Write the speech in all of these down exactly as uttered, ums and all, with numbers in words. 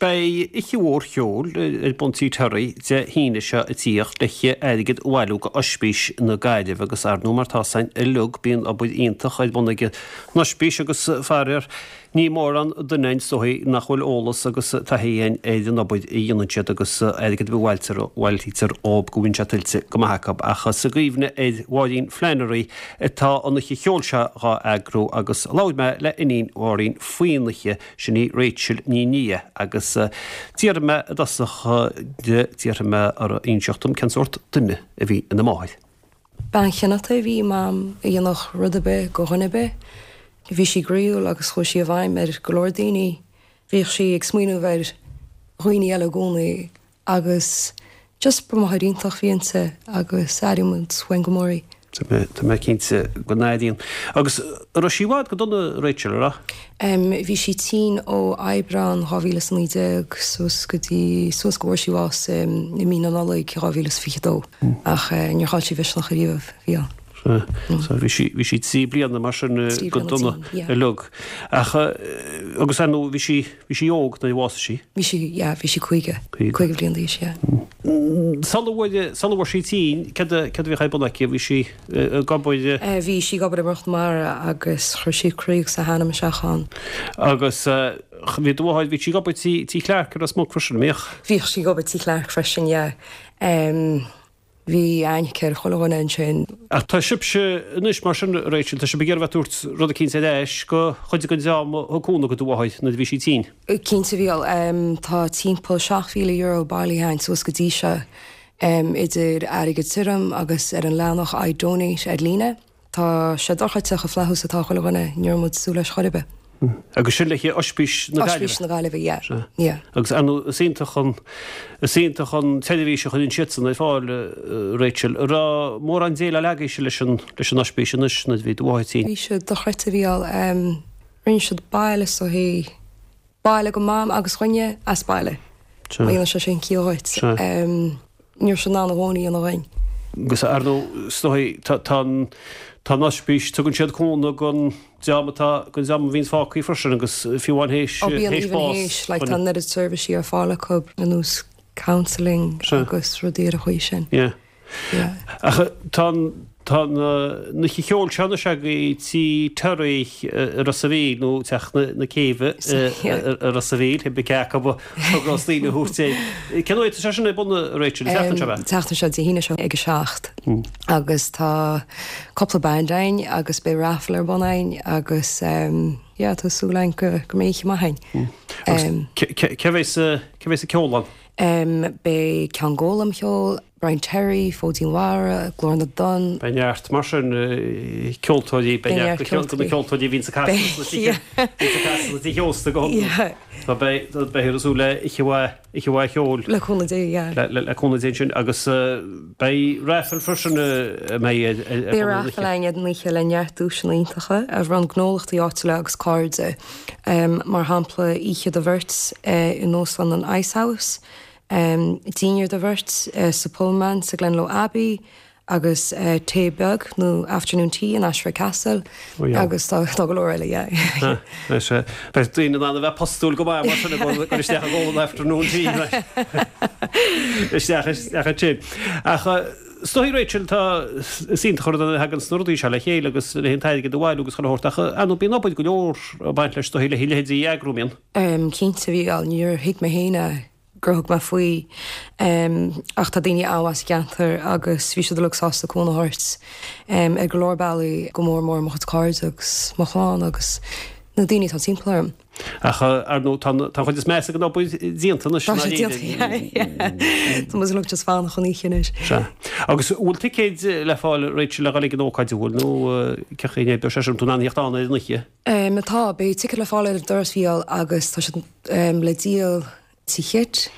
beidh oíche mhór cheoil ar bun Tí Terry Dé hAoine seo ag tíocht le airgead a bhailiú go Ospís na Gaillimhe agus ar ndóigh mar tá san uilig bíonn obair iontach ar bun ag an Ospís agus faraor ní mórán duine is dóigh nach bhfuil eolas agus taithí ar an obair a dhéanann siad agus airgead a bhailtear bhailítear ób go bhfuil sé tuillte go maith acu ach sa gcuimhne ar Mháirín Flannery atá an oíche cheoil seo dhá eagrú agus labhair mé le iníon Mháirín faoin oíche sin í Rachel Ní Nia agus d'iarr mé i dtosach d'iarr mé uirthi inseacht dom cén sórt duine a bhí ina máthair. Bean chineálta a bhí i Mam a dhéanfadh rud ar bith do dhuine ar bith. Bhí sí groíúil agus chuaigh sí i bhfeidhm ar go leor daoine. Bhíodh sí ag smaoineamh ar dhaoine eile i gcónaí agus just ba mháthair iontach a bhí inti agus airíonn muid uainn go mór í. Tá mé cinnte go n-airíonn. Agus raibh sí i bhfad go dona Rachel a rá? Um, bhí sí tinn ó Aibreán dhá mhíle is naoi déag suas go dtí suas go bhfuair sí bás um, i mí na Nollag dhá mhíle is fiche dó ach uh, níor chaill sí misneach ariamh bhí ann. So bhí sí bhí sí trí bliana mar sin Trí go bliana dona tinn, yeah. uilig. Ach agus ar ndóigh bhí sí bhí sí óg nuair a bhásaigh sí. Bhí sí yeah, bhí sí caoga Caoga. caoga bliain d'aois yeah. Sula bhfuair sula bhfuair sí tinn cad cad a bhí ar bun aici bhí sí ag obair Uh, bhí sí ag obair i mBruach na Mara agus chuir sí croí agus a hanam isteach ann. agus bhí do mháthair bhí sí ag obair tí tí Clark ar Ros Muc freisin mbíodh. Bhíodh sí ag obair tí Clark freisin yeah. Um, bhí aithne ar chuile dhuine ansin. Ach tá sibhse anois mar sin Rachel, tá sibh ag iarraidh tabhairt rud eicínt ar ais go chuid den dream a thug cúnamh do do mháthair nuair a bhí sí tinn. Cinnte bhí um, tá timpeall seacht mhíle euro bailithe againn suas go dtí seo um, idir airgead tirim agus ar an leathanach iDonate ar líne. Tá sé dochreidte chomh flaithiúil atá chuile dhuine ní raibh muid ag súil leis chor ar bith. Agus sin le Ospís na Ospís Gaillimhe. na Gaillimhe, yeah. Sea. Yeah. Agus anu is iontach an is iontach an tseirbhís a chuireann siadsan ar fáil uh, Rachel, raibh mórán déileáil agaibhse leis an leis an Ospís anois nuair a bhí do mháthair tinn. Bhí siad dochreidte bhí um, rinne siad baile so hí baile go mam agus dhuine as baile. Sea. Má sé sin ciall dhuit. Sea. Um, Níor sin ná bhóí an bhain. Agus ar ndóigh is dóigh tá tá tá an Ospís tugann siad cúnamh don dream atá don dream a bhíonn fágtha freisin agus fiú amháin théis Ó bíonn théis even bás. théis, like, tá an oiread seirbhísí ar fáil acu ar nós counselling Sea. agus rudaí ar an chaoi sin. Yeah. Yeah. Ach tá tá na cheol sena se go tí Terry i Ros a' Mhíl nó teach na na céibhe Yeah. i Ros a' Mhíl hi be ceach daoine thuirté. Cén uair sé sin ar bun Rachel seachtain seo bheith? Seachtain seo Dé hAoine seo ag a seacht. Agus tá cúpla band ann agus beidh raffle ar bun ann agus um, yeah, tá súil againn go go mbeidh maith ann. Um, Cé bheas cé bheas ag ceol ann? um, beidh Ceann Gólam ceol, Brian Terry, Fódín Mhara, Glór na dTonn, Beidh neart mar sin ceoltóirí Beidh neart na ceoltóirí. ceoltóirí bhíonn sa Beidh, tí heosta go Yeah. Tá beidh beidh súil le oíche mhaith cheoil le cúnamh Dé, yeah. le le cúnamh Dé sin agus uh, beidh raffle freisin mé Beidh raffle ann ar an oíche le neart duaiseanna iontacha a bhronn gnólachtaí áitiúla agus cairde. Um, mar shampla oíche do bheirt uh, in Óstlann an Ice House, um, dinnéar do bheirt uh, sa Pullman sa Glenlo Abbey, agus uh, tae beag nó afternoon tea in Ashford Castle Oh, yeah. agus tá tá go leor eile yeah. Beidh daoine an bheith postúil go maith mar sin go isteach go afternoon tea isteach isteach sin. Ach is dóigh Rachel tá sín chur hagan snurdaí se le chéile agus le haghaidh an t-airgead a bhailiú agus chun thabhairt ach an bíonn obair go leor ag baint leis dóigh le leithéidí a eagrú mbíonn. Um, Cinnte bhí al níor thuig mé féin gur thug mé faoi um, ach tá daoine as ceantar agus bhí siad uilig sásta cúnamh a thabhairt um, ar go leor bealaí go mór mór mo chuid cairde agus mo chlann agus na daoine tá timpeall orm. Ach ar ndóigh tá tá chuid is measa den obair déanta Tá sé déanta, yeah. Tá muid uilig just fanacht don oíche anois. Se. Agus bhfuil ticéid le fáil Rachel le dhul ag an ócáid bhfuil nó cé be sé tú an an ar an oíche. Um, tá beidh ticéid le fáil ar an doras Mhícheál agus tá siad um, le díol tí Chit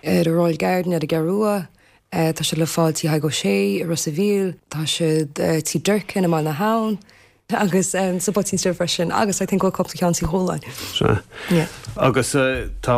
ar an Royal Garden ar an gCeathrú Rua, uh, tá siad le fáil tí Tadhg Ó Sé i Ros a' Mhíl, tá siad uh, tí Durkin i mBaile na hAbhann, agus um, sa Poitín Stór freisin agus I think bhfuil cúpla ceann tí Chualáin. Se. Yeah. Agus eh, tá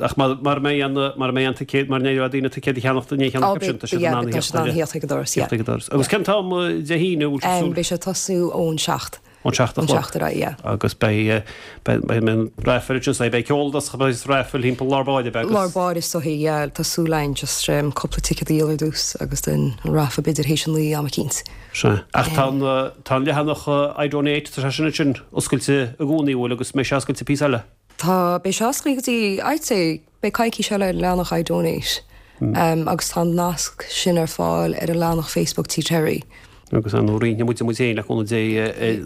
ach mar mar mé an mar mé an ticéad mar néir daoine ticéad a cheannacht ní Oh, cheannacht sin tá siad yeah, tá siad an ag an doras, yeah. Agus cén t-am Dé hAoine bhfuil Um, beidh sé tosú ón seacht. Ón seacht a Ón chlog. seacht ar aghaidh, yeah. Agus beidh beidh beidh an raifil ansin beidh ceol dos beidh raifil thimpeall lár báire beidh agus Lár báire is dóichí, yeah, tá súil againn just um, cúpla ticket a dhíol ar dtús agus den an raffle b'fhéidir théis a naoi am eicínt. Sea. Ach tá an tá an leathanach iDonate tá sé sin sin oscailte i gcónaí bhfuil agus mbeidh sé oscailte píosa eile. Tá beidh sé oscailte go dtí I'd say beidh coicís eile ar an leathanach iDonate. Um, agus tá an nasc sin ar fáil ar an leathanach Facebook Tí Terry. Agus an roinnfidh muid muid féin le cúnamh Dé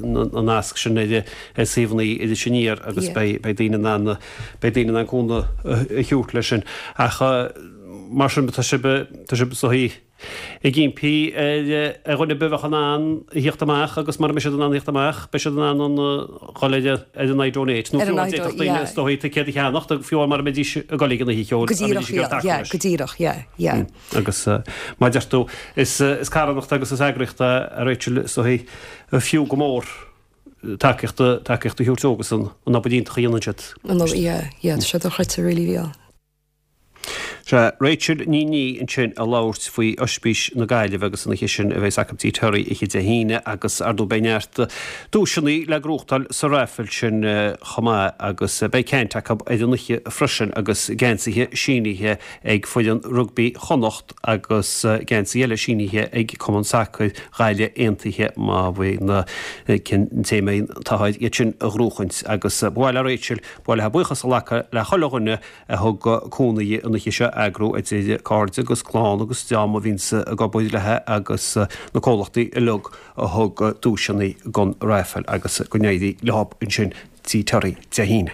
an nasc sin ar ar suíomhanna Iris Aniar agus Yeah. beidh beidh daoine in ann beidh daoine in ann cúnamh a thabhairt leis sin. Ach mar sin tá sibh tá sibh so ag impí ar dhuine ar bith in ann theacht amach agus mar mbeidh siad in ann theacht amach, beidh siad in ann an dhul ar ar an iDonate. Nó Ar an fiú iDo- daoine yeah. is dóigh ticéad a cheannacht fiú mar mbeidís ag dul ag an oíche cheoil Go díreach, yeah, yeah, go díreach, yeah, yeah. agus uh, mar deir tú is uh, is carthanacht agus is eagraíocht a Rachel so fiú go mór tacaíocht tacaíocht a thabhairt agus an an obair iontach a dhéanann siad. An yeah, yeah, tá sé dochreidte really bhí. Sé Rachel Ní Ní ansin ag labhairt faoi Ospís na Gaillimhe agus an oíche sin a bheas acu Tí Terry oíche Dé hAoine agus ar ndóigh beidh neart duaiseanna le gnóthachtáil sa raffle sin chomh maith agus beidh caint acu ar an oíche freisin agus geansaithe sínithe ag foireann rugbaí Chonnacht agus geansaí eile sínithe ag Cumann Sacair Ghaillimh Aontaithe má bhí na cinn téama táid iad sin a ghnóthachaint agus ba mhaith le Rachel ba mhaith léi buíochas a ghlacadh le chuile dhuine a thug cúnamh an oíche seo eagrú idir cairde agus clann agus dream a bhíonns ag obair léi agus na comhlachtaí uilig a thug duaiseanna don raffle agus go n-éirí leo ansin Tí Terry Dé hAoine.